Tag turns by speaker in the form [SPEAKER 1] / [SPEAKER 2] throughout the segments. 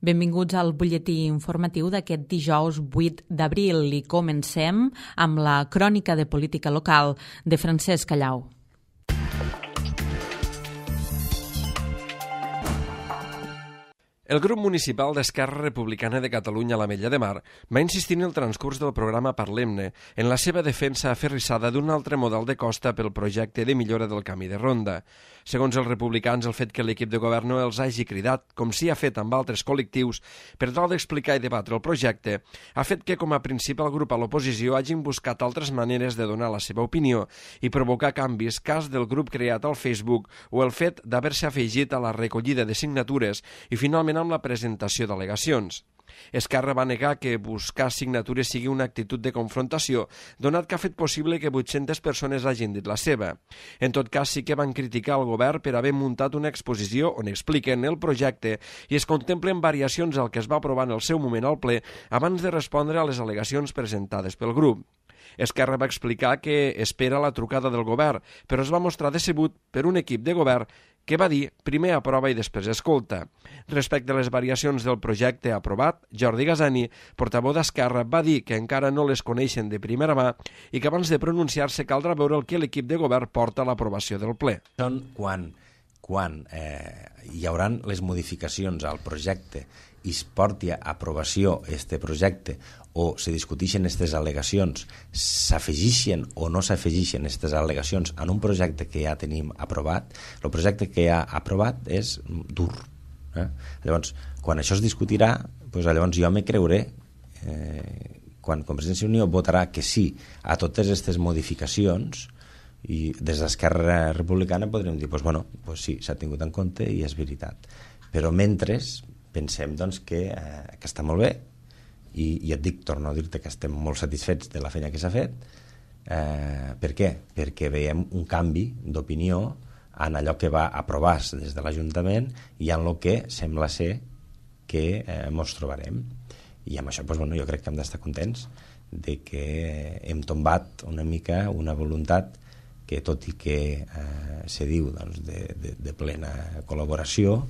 [SPEAKER 1] Benvinguts al butlletí informatiu d'aquest dijous 8 d'abril i comencem amb la crònica de política local de Francesc Callau.
[SPEAKER 2] El grup municipal d'Esquerra Republicana de Catalunya a l'Ametlla de Mar va insistir en el transcurs del programa Parlem-ne en la seva defensa aferrissada d'un altre model de costa pel projecte de millora del camí de ronda. Segons els republicans, el fet que l'equip de govern no els hagi cridat, com s'hi ha fet amb altres col·lectius, per tal d'explicar i debatre el projecte, ha fet que com a principal grup a l'oposició hagin buscat altres maneres de donar la seva opinió i provocar canvis, cas del grup creat al Facebook o el fet d'haver-se afegit a la recollida de signatures i finalment amb la presentació d'al·legacions. Esquerra va negar que buscar signatures sigui una actitud de confrontació, donat que ha fet possible que 800 persones hagin dit la seva. En tot cas, sí que van criticar el govern per haver muntat una exposició on expliquen el projecte i es contemplen variacions al que es va aprovar en el seu moment al ple abans de respondre a les al·legacions presentades pel grup. Esquerra va explicar que espera la trucada del govern, però es va mostrar decebut per un equip de govern que va dir primer aprova i després escolta. Respecte a les variacions del projecte aprovat, Jordi Gasani, portaveu d'Esquerra, va dir que encara no les coneixen de primera mà i que abans de pronunciar-se caldrà veure el que l'equip de govern porta a l'aprovació del ple.
[SPEAKER 3] Són quan hi haurà les modificacions al projecte i es porti a aprovació este projecte o se discuteixen aquestes al·legacions, s'afegeixen o no s'afegeixen aquestes al·legacions en un projecte que ja tenim aprovat, el projecte que ja aprovat és dur. Llavors, quan això es discutirà, doncs llavors jo me creuré quan Convergència i Unió votarà que sí a totes aquestes modificacions i des d'Esquerra Republicana podríem dir, sí, s'ha tingut en compte i és veritat. Però mentre pensem que està molt bé i et dic, torno a dir-te que estem molt satisfets de la feina que s'ha fet. Per què? Perquè veiem un canvi d'opinió en allò que va aprovar des de l'Ajuntament i en el que sembla ser que ens trobarem. I amb això jo crec que hem d'estar contents de que hem tombat una mica una voluntat que tot i que se diu de plena col·laboració,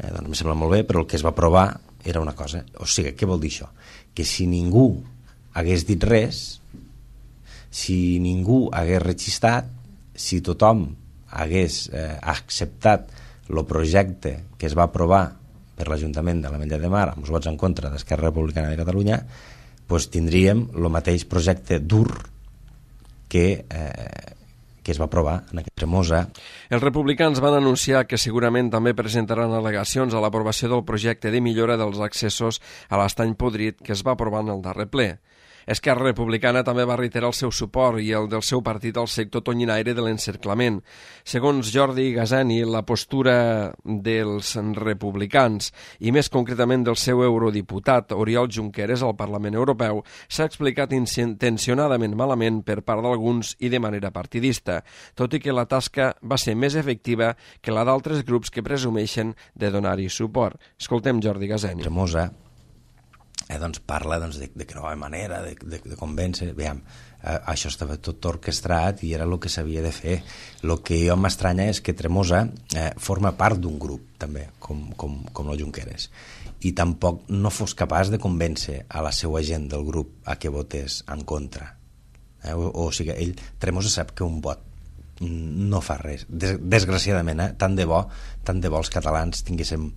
[SPEAKER 3] em sembla molt bé, però el que es va aprovar era una cosa. O sigui, què vol dir això? Que si ningú hagués dit res, si ningú hagués registrat, si tothom hagués acceptat el projecte que es va aprovar per l'Ajuntament de l'Ametlla de Mar amb els vots en contra d'Esquerra Republicana de Catalunya, doncs tindríem el mateix projecte dur que es va aprovar en aquest Tremosa.
[SPEAKER 2] Els republicans van anunciar que segurament també presentaran al·legacions a l'aprovació del projecte de millora dels accessos a l'estany podrit que es va aprovar en el darrer ple. Esquerra Republicana també va reiterar el seu suport i el del seu partit al sector tonyinaire de l'encerclament. Segons Jordi Gasani, la postura dels republicans i més concretament del seu eurodiputat Oriol Junqueras al Parlament Europeu s'ha explicat intencionadament malament per part d'alguns i de manera partidista, tot i que la tasca va ser més efectiva que la d'altres grups que presumeixen de donar-hi suport. Escoltem Jordi Gasani.
[SPEAKER 3] Tremosa parla de que no hi ha manera de convèncer. Veiem, això estava tot orquestrat i era el que s'havia de fer. El que jo m'estranya és que Tremosa forma part d'un grup també, com el Junqueras, i tampoc no fos capaç de convèncer a la seva gent del grup a que votés en contra. O sigui, Tremosa sap que un vot no fa res, desgraciadament. Tant de bo els catalans tinguéssim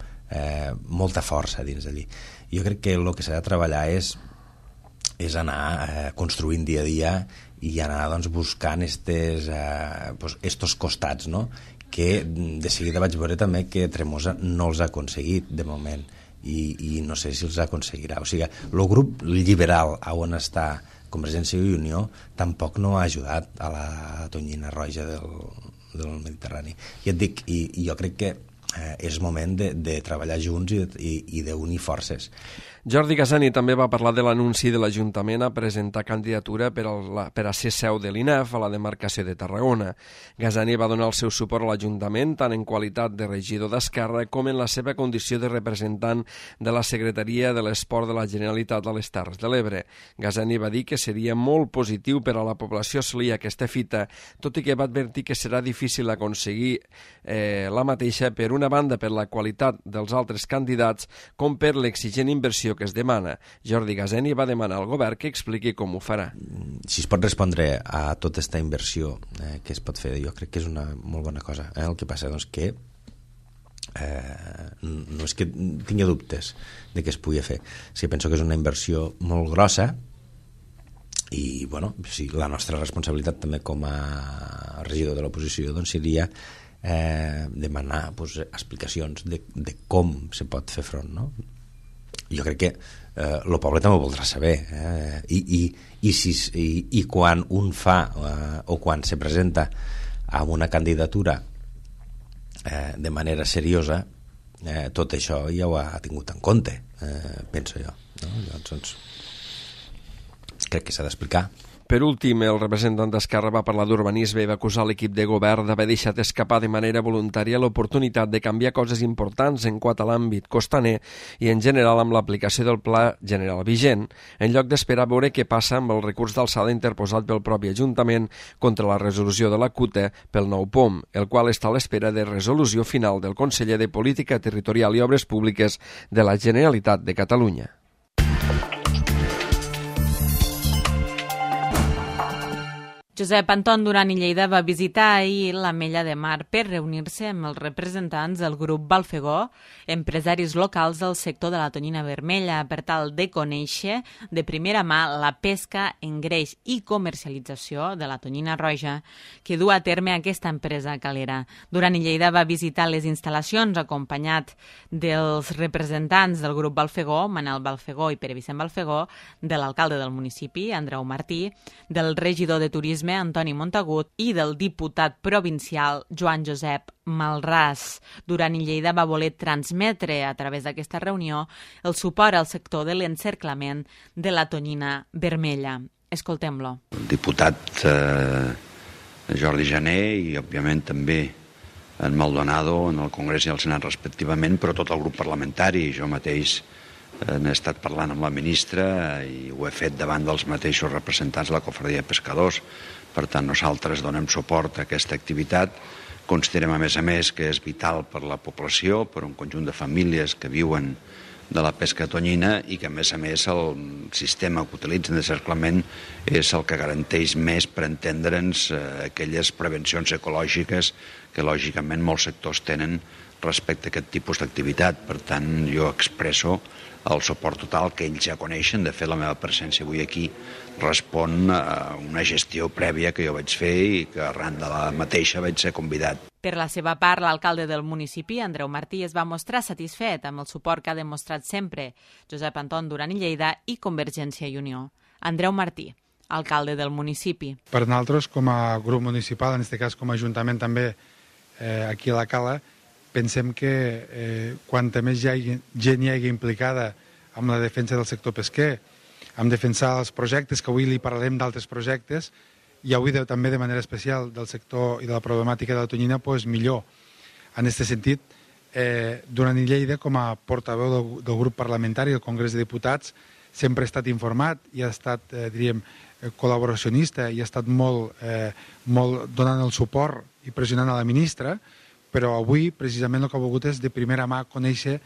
[SPEAKER 3] molta força dins d'allí. Jo crec que el que s'ha de treballar és anar construint dia a dia i anar buscant estos costats, no? Que de seguida vaig veure també que Tremosa no els ha aconseguit de moment i no sé si els aconseguirà. O sigui, el grup liberal on està Convergència i Unió tampoc no ha ajudat a la tonyina roja del Mediterrani. I et dic, i jo crec que és moment de treballar junts i d'unir forces.
[SPEAKER 2] Jordi Gasani també va parlar de l'anunci de l'Ajuntament a presentar candidatura per a ser seu de l'INEF a la demarcació de Tarragona. Gasani va donar el seu suport a l'Ajuntament tant en qualitat de regidor d'Esquerra com en la seva condició de representant de la Secretaria de l'Esport de la Generalitat a les Terres de l'Ebre. Gasani va dir que seria molt positiu per a la població assolir aquesta fita, tot i que va advertir que serà difícil aconseguir la mateixa per una d'una banda per la qualitat dels altres candidats com per l'exigent inversió que es demana. Jordi Gazeni va demanar al govern que expliqui com ho farà.
[SPEAKER 3] Si es pot respondre a tota aquesta inversió que es pot fer, jo crec que és una molt bona cosa. El que passa és que no és que tingui dubtes de que es pugui fer. Sí, penso que és una inversió molt grossa i bueno, sí, la nostra responsabilitat també com a regidor de l'oposició doncs seria demanar explicacions de com se pot fer front, no? Jo crec que el poble també ho voldrà saber i quan un fa o quan se presenta a una candidatura de manera seriosa tot això ja ho ha tingut en compte, penso jo, no? Llavors crec que s'ha d'explicar.
[SPEAKER 2] Per últim, el representant d'Esquerra va parlar d'urbanisme i va acusar l'equip de govern d'haver deixat escapar de manera voluntària l'oportunitat de canviar coses importants en quant a l'àmbit costaner i en general amb l'aplicació del Pla General vigent, en lloc d'esperar a veure què passa amb el recurs d'alçada interposat pel propi Ajuntament contra la resolució de la CUTA pel nou POM, el qual està a l'espera de resolució final del conseller de Política Territorial i Obres Públiques de la Generalitat de Catalunya.
[SPEAKER 1] Josep Anton Duran i Lleida va visitar ahir l'Ametlla de Mar per reunir-se amb els representants del grup Balfegó, empresaris locals del sector de la tonyina vermella, per tal de conèixer de primera mà la pesca, engreix i comercialització de la tonyina roja que du a terme aquesta empresa calera. Duran i Lleida va visitar les instal·lacions acompanyat dels representants del grup Balfegó, Manel Balfegó i Pere Vicent Balfegó, de l'alcalde del municipi, Andreu Martí, del regidor de Turisme, Antoni Montagut, i del diputat provincial Joan Josep Malràs. Duran i Lleida va voler transmetre a través d'aquesta reunió el suport al sector de l'encerclament de la tonyina vermella. Escoltem-lo.
[SPEAKER 4] El diputat Jordi Jané i, òbviament, també en Maldonado en el Congrés i el Senat respectivament, però tot el grup parlamentari. Jo mateix n'he estat parlant amb la ministra i ho he fet davant dels mateixos representants de la Cofradia de Pescadors. Per tant, nosaltres donem suport a aquesta activitat. Considerem, a més, que és vital per la població, per un conjunt de famílies que viuen de la pesca tonyina i que, a més, el sistema que utilitzen d'encerclament és el que garanteix més, per entendre'ns, aquelles prevencions ecològiques que, lògicament, molts sectors tenen respecte a aquest tipus d'activitat. Per tant, jo expresso el suport total que ells ja coneixen. De fet, la meva presència avui aquí respon a una gestió prèvia que jo vaig fer i que arran de la mateixa vaig ser convidat.
[SPEAKER 1] Per la seva part, l'alcalde del municipi, Andreu Martí, es va mostrar satisfet amb el suport que ha demostrat sempre Josep Anton Duran i Lleida i Convergència i Unió. Andreu Martí, alcalde del municipi.
[SPEAKER 5] Per nosaltres, com a grup municipal, en aquest cas com a ajuntament també aquí a la Cala, pensem que quanta més gent hi hagi implicada amb la defensa del sector pesquer, amb defensar els projectes, que avui li parlarem d'altres projectes, i avui també de manera especial del sector i de la problemàtica de la tonyina, doncs millor. En aquest sentit, Duran i Lleida, com a portaveu del grup parlamentari del Congrés de Diputats, sempre ha estat informat i ha estat, diríem, col·laboracionista i ha estat molt donant el suport i pressionant a la ministra, però avui, precisament, el que ha volgut és de primera mà conèixer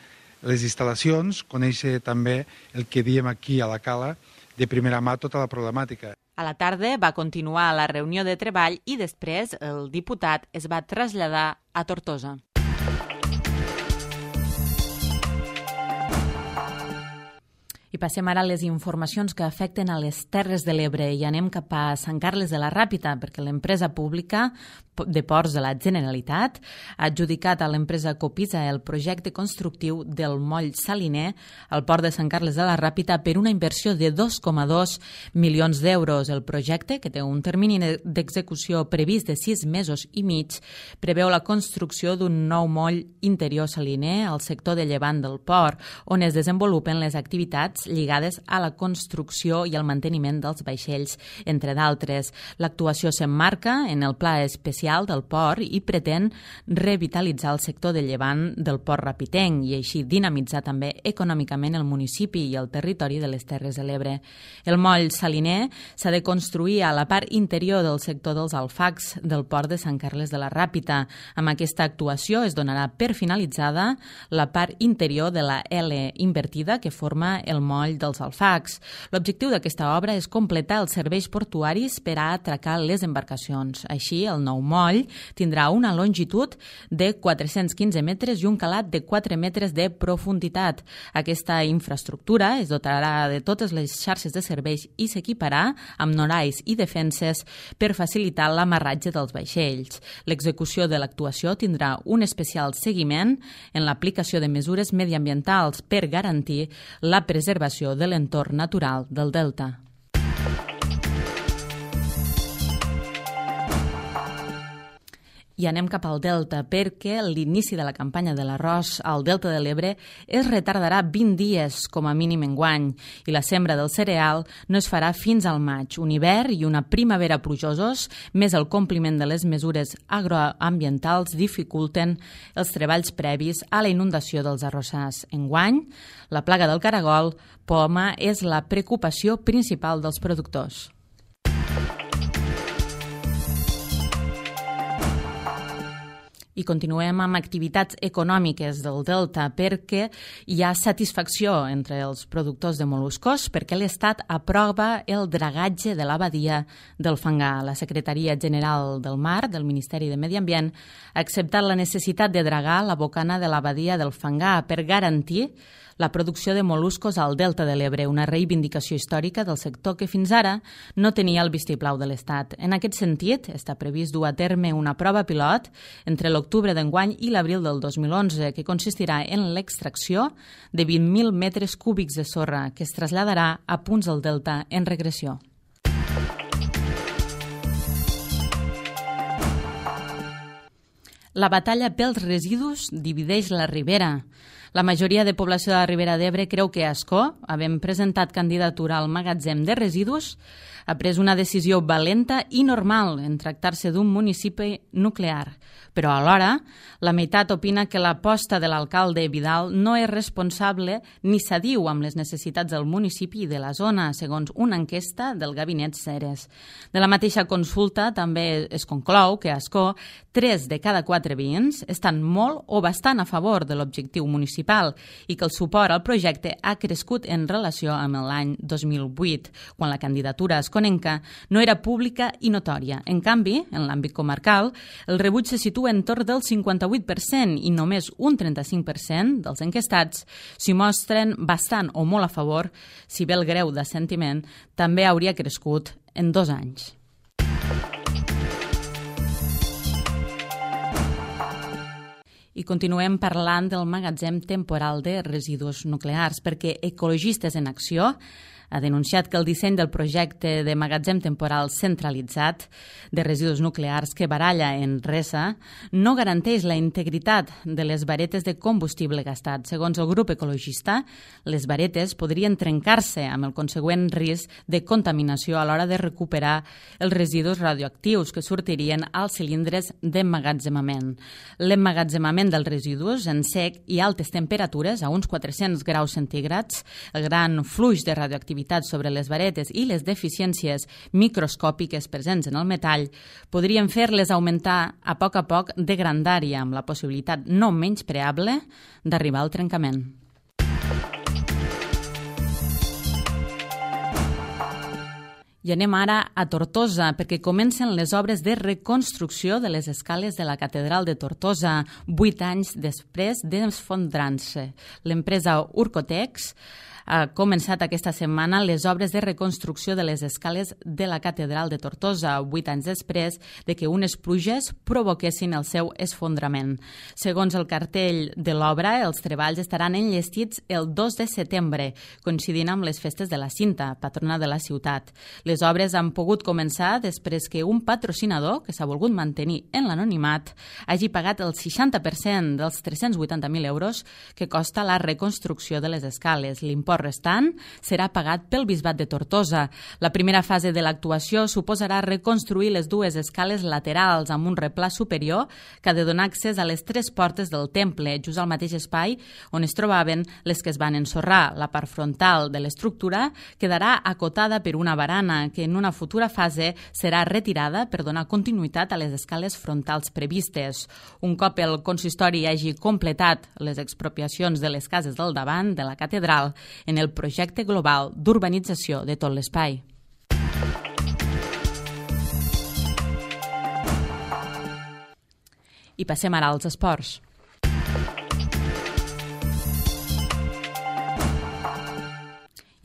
[SPEAKER 5] les instal·lacions, conèixer també el que diem aquí a la Cala, de primera mà tota la problemàtica.
[SPEAKER 1] A la tarda va continuar la reunió de treball i després el diputat es va traslladar a Tortosa. I passem ara a les informacions que afecten a les Terres de l'Ebre i anem cap a Sant Carles de la Ràpita, perquè l'empresa pública de Ports de la Generalitat ha adjudicat a l'empresa Copisa el projecte constructiu del moll saliner al port de Sant Carles de la Ràpita per una inversió de 2,2 milions d'euros. El projecte, que té un termini d'execució previst de 6 mesos i mig, preveu la construcció d'un nou moll interior saliner al sector de llevant del port, on es desenvolupen les activitats activitats lligades a la construcció i al manteniment dels vaixells, entre d'altres. L'actuació s'emmarca en el Pla Especial del Port i pretén revitalitzar el sector de llevant del Port Rapitenc i així dinamitzar també econòmicament el municipi i el territori de les Terres de l'Ebre. El moll saliner s'ha de construir a la part interior del sector dels alfacs del port de Sant Carles de la Ràpita. Amb aquesta actuació es donarà per finalitzada la part interior de la L invertida que forma el moll dels alfacs. L'objectiu d'aquesta obra és completar els serveis portuaris per a atracar les embarcacions. Així, el nou moll tindrà una longitud de 415 metres i un calat de 4 metres de profunditat. Aquesta infraestructura es dotarà de totes les xarxes de serveis i s'equiparà amb norais i defenses per facilitar l'amarratge dels vaixells. L'execució de l'actuació tindrà un especial seguiment en l'aplicació de mesures mediambientals per garantir la preservació de l'entorn natural del delta. I anem cap al Delta, perquè l'inici de la campanya de l'arròs al Delta de l'Ebre es retardarà 20 dies, com a mínim enguany, i la sembra del cereal no es farà fins al maig. Un hivern i una primavera plujosos, més el compliment de les mesures agroambientals dificulten els treballs previs a la inundació dels arrossars. Enguany, la plaga del caragol poma és la preocupació principal dels productors. I continuem amb activitats econòmiques del Delta perquè hi ha satisfacció entre els productors de moluscos perquè l'Estat aprova el dragatge de la badia del Fangar. La Secretaria General del Mar del Ministeri de Medi Ambient ha acceptat la necessitat de dragar la bocana de la badia del Fangar per garantir la producció de moluscos al Delta de l'Ebre, una reivindicació històrica del sector que fins ara no tenia el vistiplau de l'Estat. En aquest sentit, està previst dur a terme una prova pilot entre l'octubre d'enguany i l'abril del 2011, que consistirà en l'extracció de 20.000 metres cúbics de sorra, que es traslladarà a punts del Delta en regressió. La batalla pels residus divideix la Ribera. La majoria de població de la Ribera d'Ebre creu que Ascó, havent presentat candidatura al magatzem de residus, ha pres una decisió valenta i normal en tractar-se d'un municipi nuclear. Però alhora, la meitat opina que l'aposta de l'alcalde Vidal no és responsable ni s'adiu amb les necessitats del municipi i de la zona, segons una enquesta del Gabinet Ceres. De la mateixa consulta també es conclou que a Ascó 3 de cada 4 veïns estan molt o bastant a favor de l'objectiu municipal i que el suport al projecte ha crescut en relació amb l'any 2008, quan la candidatura asconenca no era pública i notòria. En canvi, en l'àmbit comarcal, el rebuig se situa entorn del 58% i només un 35% dels enquestats s'hi mostren bastant o molt a favor, si bé el greu d'assentiment també hauria crescut en 2 anys. I continuem parlant del magatzem temporal de residus nuclears, perquè Ecologistes en Acció ha denunciat que el disseny del projecte de magatzem temporal centralitzat de residus nuclears que baralla en Resa no garanteix la integritat de les varetes de combustible gastat. Segons el grup ecologista, les varetes podrien trencar-se amb el consegüent risc de contaminació a l'hora de recuperar els residus radioactius que sortirien als cilindres d'emmagatzemament. L'emmagatzemament dels residus en sec i altes temperatures, a uns 400 graus centígrads, el gran flux de radioactivitat sobre les varetes i les deficiències microscòpiques presents en el metall podrien fer-les augmentar a poc de grandària, amb la possibilitat no menyspreable d'arribar al trencament. I anem ara a Tortosa, perquè comencen les obres de reconstrucció de les escales de la Catedral de Tortosa, 8 anys després d'esfondrar-se. L'empresa Urcotex ha començat aquesta setmana les obres de reconstrucció de les escales de la Catedral de Tortosa, 8 anys després de que unes pluges provoquessin el seu esfondrament. Segons el cartell de l'obra, els treballs estaran enllestits el 2 de setembre, coincidint amb les festes de la Cinta, patrona de la ciutat. Les obres han pogut començar després que un patrocinador, que s'ha volgut mantenir en l'anonimat, hagi pagat el 60% dels 380.000 euros que costa la reconstrucció de les escales. L'import l'import restant serà pagat pel Bisbat de Tortosa. La primera fase de l'actuació suposarà reconstruir les dues escales laterals amb un replà superior que ha de donar accés a les 3 portes del temple, just al mateix espai on es trobaven les que es van ensorrar. La part frontal de l'estructura quedarà acotada per una barana que en una futura fase serà retirada per donar continuïtat a les escales frontals previstes. Un cop el consistori hagi completat les expropiacions de les cases del davant de la catedral en el projecte global d'urbanització de tot l'espai. I passem ara als esports.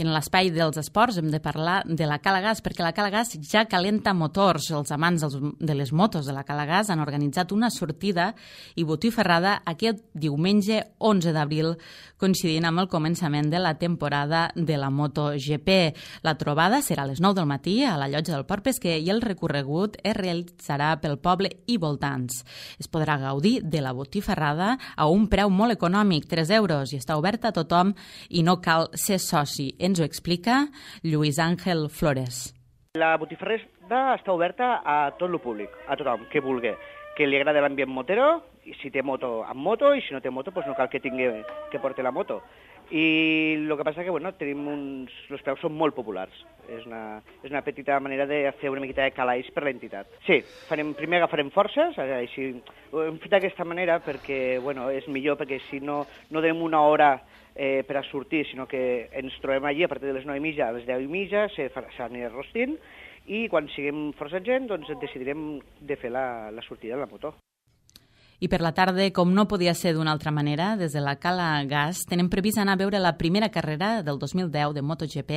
[SPEAKER 1] I en l'espai dels esports hem de parlar de la Cala Gas, perquè la Cala Gas ja calenta motors. Els amants de les motos de la Cala Gas han organitzat una sortida i botifarrada aquest diumenge 11 d'abril, coincidint amb el començament de la temporada de la MotoGP. La trobada serà a les 9 del matí a la llotja del Port Pesquer i el recorregut es realitzarà pel poble i voltants. Es podrà gaudir de la botifarrada a un preu molt econòmic, 3 euros, i està oberta a tothom i no cal ser soci. Ens ho explica Lluís Àngel Flores.
[SPEAKER 6] La botifarrada està oberta a tot el públic, a tothom que vulgui, que li agrada l'ambient motero, i si té moto, amb moto, i si no té moto, doncs no cal que porti la moto. I el que passa que tenim els preus són molt populars. És una petita manera de fer una miqueta de calaix per l'entitat. Sí, primer agafarem forces, així, ho hem fet d'aquesta manera perquè és millor, perquè si no donem una hora per a sortir, sinó que ens trobem allí a partir de les 9:30 a les 10:30, s'anirà rostint, i quan siguem força gent doncs decidirem de fer la sortida en la moto.
[SPEAKER 1] I per la tarda, com no podia ser d'una altra manera, des de la Cala Gas tenem previst anar a veure la primera carrera del 2010 de MotoGP,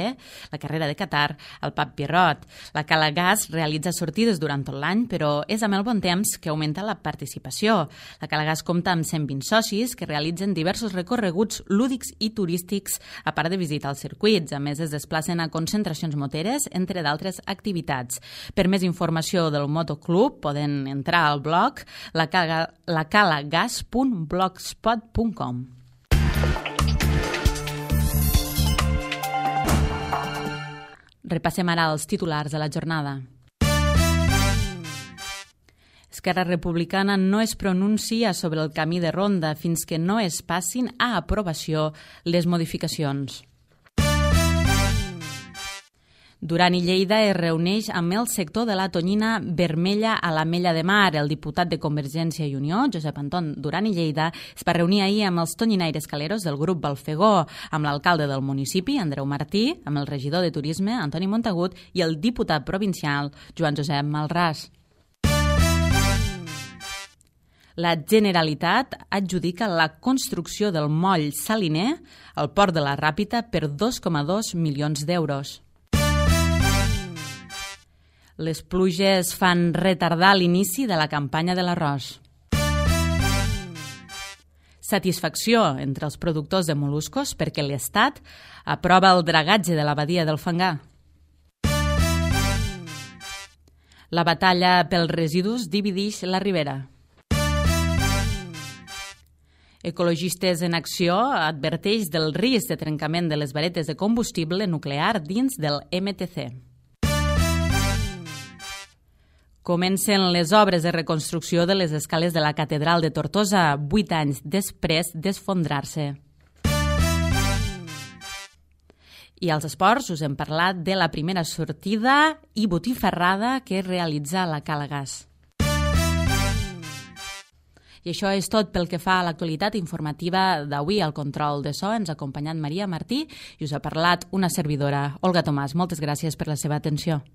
[SPEAKER 1] la carrera de Qatar, al Pub Pierrot. La Cala Gas realitza sortides durant tot l'any, però és amb el bon temps que augmenta la participació. La Cala Gas compta amb 120 socis que realitzen diversos recorreguts lúdics i turístics, a part de visitar els circuits. A més, es desplacen a concentracions moteres, entre d'altres activitats. Per més informació del Motoclub poden entrar al blog lacalagas.blogspot.com. Repassem ara els titulars de la jornada. Esquerra Republicana no es pronuncia sobre el camí de ronda fins que no es passin a aprovació les modificacions. Duran i Lleida es reuneix amb el sector de la tonyina vermella a l'Ametlla de Mar. El diputat de Convergència i Unió, Josep Anton Duran i Lleida, es va reunir ahir amb els tonyinaires caleros del grup Balfegó, amb l'alcalde del municipi, Andreu Martí, amb el regidor de Turisme, Antoni Montagut, i el diputat provincial, Joan Josep Malràs. La Generalitat adjudica la construcció del moll saliner al port de la Ràpita per 2,2 milions d'euros. Les pluges fan retardar l'inici de la campanya de l'arròs. Satisfacció entre els productors de mol·luscos perquè l'Estat aprova el dragatge de la badia del Fangar. La batalla pels residus divideix la Ribera. Ecologistes en Acció adverteix del risc de trencament de les varetes de combustible nuclear dins del MTC. Comencen les obres de reconstrucció de les escales de la Catedral de Tortosa, 8 anys després d'esfondrar-se. I als esports us hem parlat de la primera sortida i botifarrada que realitza la Cala Gas. I això és tot pel que fa a l'actualitat informativa d'avui. Al control de so ens ha acompanyat Maria Martí i us ha parlat una servidora, Olga Tomàs. Moltes gràcies per la seva atenció.